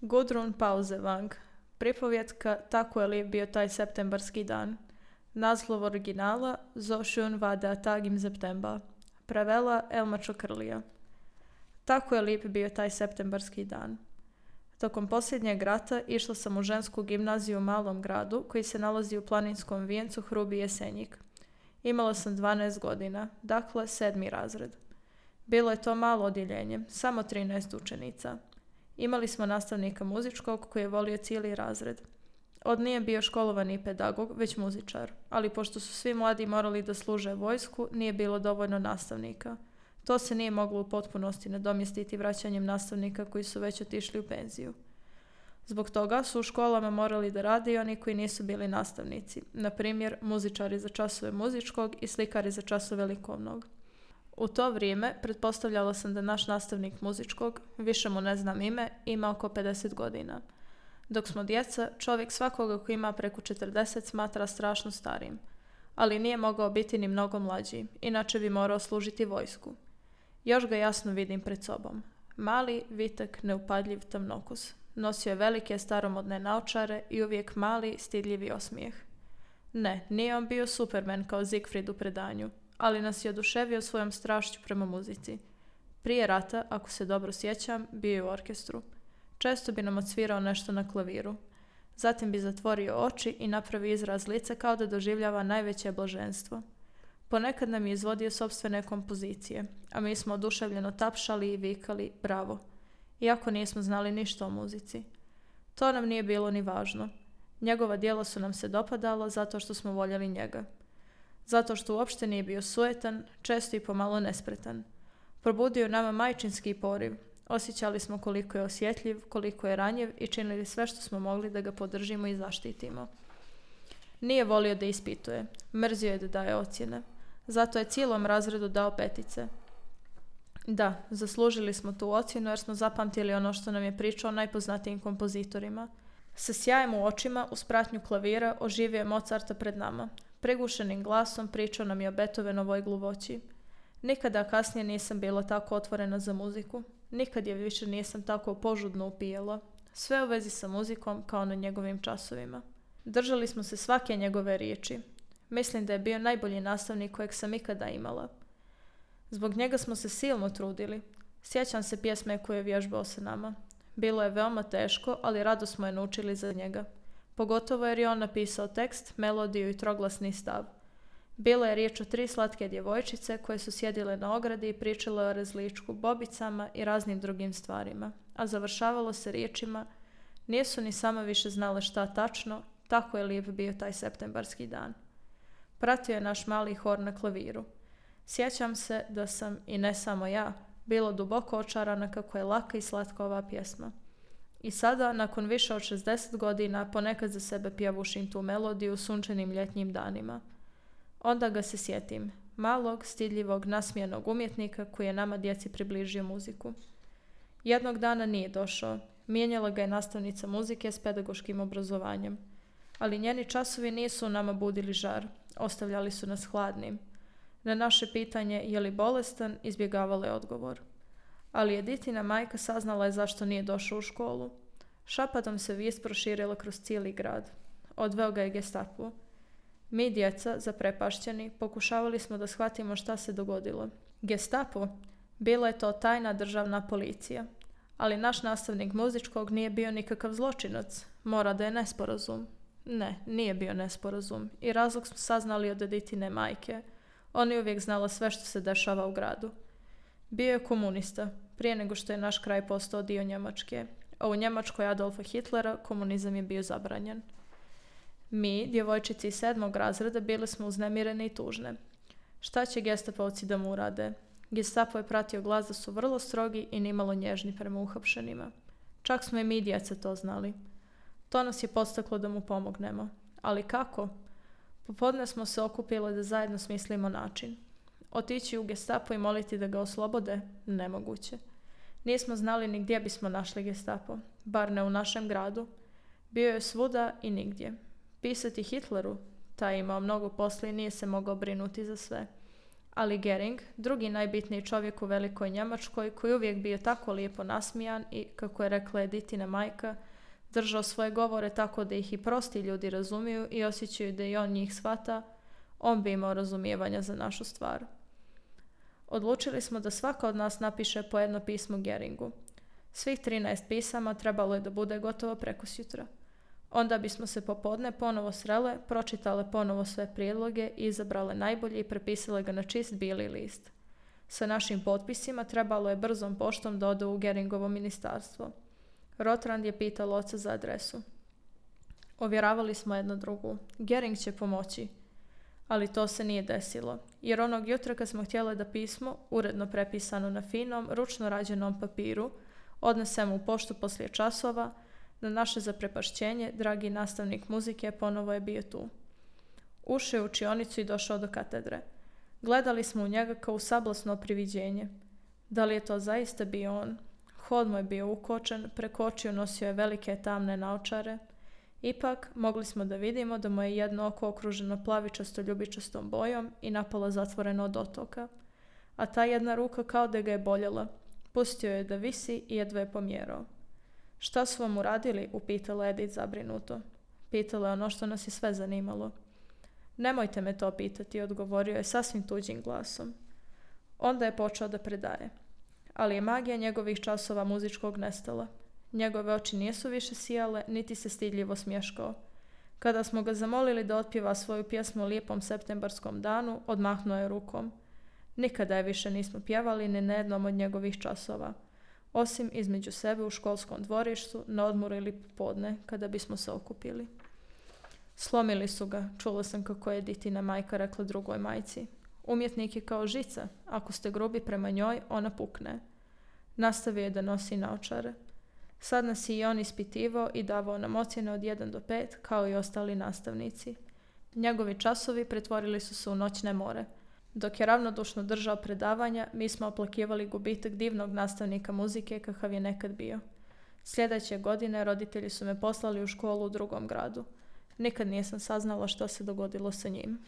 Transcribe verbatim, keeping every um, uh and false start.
Gudrun Pausevang. Pripovjetka Tako je lijep bio taj septembarski dan. Naslov originala So schön war der Tag im September. Prevela Elma Čokrlija. Tako je lijep bio taj septembarski dan. Tokom posljednjeg rata išla sam u žensku gimnaziju u malom gradu koji se nalazi u planinskom vijencu Hrubi Jesenjik. Imala sam dvanaest godina, dakle sedmi razred. Bilo je to malo odjeljenje, samo trinaest učenica. Imali smo nastavnika muzičkog koji je volio cijeli razred. On nije bio školovani pedagog, već muzičar, ali pošto su svi mladi morali da služe vojsku, nije bilo dovoljno nastavnika. To se nije moglo u potpunosti nadomjestiti vraćanjem nastavnika koji su već otišli u penziju. Zbog toga su u školama morali da rade i oni koji nisu bili nastavnici, na primjer muzičari za časove muzičkog i slikari za časove likovnog. U to vrijeme pretpostavljala sam da naš nastavnik muzičkog, više mu ne znam ime, ima oko pedeset godina. Dok smo djeca, čovjek svakoga koji ima preko četrdeset smatra strašno starim, ali nije mogao biti ni mnogo mlađi, inače bi morao služiti vojsku. Još ga jasno vidim pred sobom. Mali, vitek, neupadljiv tamnokus. Nosio je velike staromodne naočare i uvijek mali, stidljivi osmijeh. Ne, nije on bio Superman kao Siegfried u predanju, ali nas je oduševio svojom strašću prema muzici. Prije rata, ako se dobro sjećam, bio je u orkestru. Često bi nam odsvirao nešto na klaviru. Zatim bi zatvorio oči i napravio izraz lica kao da doživljava najveće blaženstvo. Ponekad nam je izvodio sopstvene kompozicije, a mi smo oduševljeno tapšali i vikali bravo, iako nismo znali ništa o muzici. To nam nije bilo ni važno. Njegova djela su nam se dopadala zato što smo voljeli njega. Zato što uopšte nije bio sujetan, često i pomalo nespretan. Probudio nama majčinski poriv. Osjećali smo koliko je osjetljiv, koliko je ranjiv i činili sve što smo mogli da ga podržimo i zaštitimo. Nije volio da ispituje, mrzio je da daje ocjene. Zato je cijelom razredu dao petice. Da, zaslužili smo tu ocjenu jer smo zapamtili ono što nam je pričao najpoznatijim kompozitorima. Sa sjajem u očima, uz pratnju klavira, oživio je Mozarta pred nama. Prigušenim glasom pričao nam je o Beethovenovoj gluvoći. Nikada kasnije nisam bila tako otvorena za muziku. Nikad je više nisam tako požudno upijala. Sve u vezi sa muzikom kao na njegovim časovima. Držali smo se svake njegove riječi. Mislim da je bio najbolji nastavnik kojeg sam ikada imala. Zbog njega smo se silno trudili. Sjećam se pjesme koju je vježbao sa nama. Bilo je veoma teško, ali rado smo je naučili za njega. Pogotovo jer je on napisao tekst, melodiju i troglasni stav. Bila je riječ o tri slatke djevojčice koje su sjedile na ogradi i pričale o rezličku, bobicama i raznim drugim stvarima. A završavalo se riječima: nisu ni sama više znale šta tačno, tako je lijep bio taj septembarski dan. Pratio je naš mali hor na klaviru. Sjećam se da sam, i ne samo ja, bila duboko očarana kako je laka i slatka ova pjesma. I sada, nakon više od šezdeset godina, ponekad za sebe pjevušim tu melodiju u sunčanim ljetnjim danima. Onda ga se sjetim, malog, stidljivog, nasmijenog umjetnika koji je nama djeci približio muziku. Jednog dana nije došao. Mijenjala ga je nastavnica muzike s pedagoškim obrazovanjem. Ali njeni časovi nisu u nama budili žar. Ostavljali su nas hladnim. Na naše pitanje je li bolestan, izbjegavala je odgovor. Ali Editina majka saznala je zašto nije došao u školu. Šapatom se vijest proširila kroz cijeli grad. Odveo ga je Gestapo. Mi, djeca, zaprepašćeni, pokušavali smo da shvatimo šta se dogodilo. Gestapo? Bila je to tajna državna policija. Ali naš nastavnik muzičkog nije bio nikakav zločinac. Mora da je nesporazum. Ne, nije bio nesporazum. I razlog smo saznali od Editine majke. Ona je uvijek znala sve što se dešava u gradu. Bio je komunista, prije nego što je naš kraj postao dio Njemačke. A u Njemačkoj Adolfa Hitlera komunizam je bio zabranjen. Mi, djevojčici iz sedmog razreda, bili smo uznemirene i tužne. Šta će gestapovci da mu urade? Gestapo je pratio glas da su vrlo strogi i nimalo nježni prema uhapšenima. Čak smo i mi djeca to znali. To nas je podstaklo da mu pomognemo. Ali kako? Popodne smo se okupili da zajedno smislimo način. Otići u Gestapo i moliti da ga oslobode? Nemoguće. Nismo znali ni gdje bismo našli Gestapo, bar ne u našem gradu. Bio je svuda i nigdje. Pisati Hitleru? Taj je imao mnogo posla i nije se mogao brinuti za sve. Ali Gering, drugi najbitniji čovjek u Velikoj Njemačkoj, koji uvijek bio tako lijepo nasmijan i, kako je rekla Editina majka, držao svoje govore tako da ih i prosti ljudi razumiju i osjećaju da i on njih shvata, on bi imao razumijevanja za našu stvar. Odlučili smo da svaka od nas napiše po jedno pismo Geringu. Svih trinaest pisama trebalo je da bude gotovo prekosutra. Onda bismo se popodne ponovo srele, pročitale ponovo sve prijedloge i izabrale najbolje i prepisale ga na čist bijeli list. Sa našim potpisima trebalo je brzom poštom da ode u Geringovo ministarstvo. Rotrand je pitao oca za adresu. Ovjeravali smo jedno drugu. Gering će pomoći. Ali to se nije desilo, jer onog jutra kad smo htjeli da pismo, uredno prepisano na finom, ručno rađenom papiru, odnesemo u poštu poslije časova, na naše zaprepašćenje, dragi nastavnik muzike ponovo je bio tu. Ušao je u učionicu i došao do katedre. Gledali smo u njega kao u sablasno priviđenje. Da li je to zaista bio on? Hod mu je bio ukočen, preko očiju nosio je velike tamne naočare. Ipak, mogli smo da vidimo da mu je jedno oko okruženo plavičasto ljubičastom bojom i napola zatvoreno od otoka. A ta jedna ruka kao da ga je boljela. Pustio je da visi i jedva je pomjerao. Šta su vam uradili? Upitala Edith zabrinuto. Pitala je ono što nas je sve zanimalo. Nemojte me to pitati, odgovorio je sasvim tuđim glasom. Onda je počeo da predaje. Ali je magija njegovih časova muzičkog nestala. Njegove oči nisu više sijale, niti se stidljivo smješkao. Kada smo ga zamolili da otpjeva svoju pjesmu o lijepom septembarskom danu, odmahnuo je rukom. Nikada je više nismo pjevali ni na jednom od njegovih časova, osim između sebe u školskom dvorištu, na odmoru ili popodne, kada bismo se okupili. Slomili su ga, čula sam kako je Editina majka rekla drugoj majci. Umjetnik je kao žica, ako ste grubi prema njoj, ona pukne. Nastavio je da nosi naočare. Sad nas je i on ispitivao i davao nam ocjene od jedan do pet, kao i ostali nastavnici. Njegovi časovi pretvorili su se u noćne more. Dok je ravnodušno držao predavanja, mi smo oplakivali gubitak divnog nastavnika muzike kakav je nekad bio. Sljedeće godine roditelji su me poslali u školu u drugom gradu. Nikad nisam saznala što se dogodilo sa njim.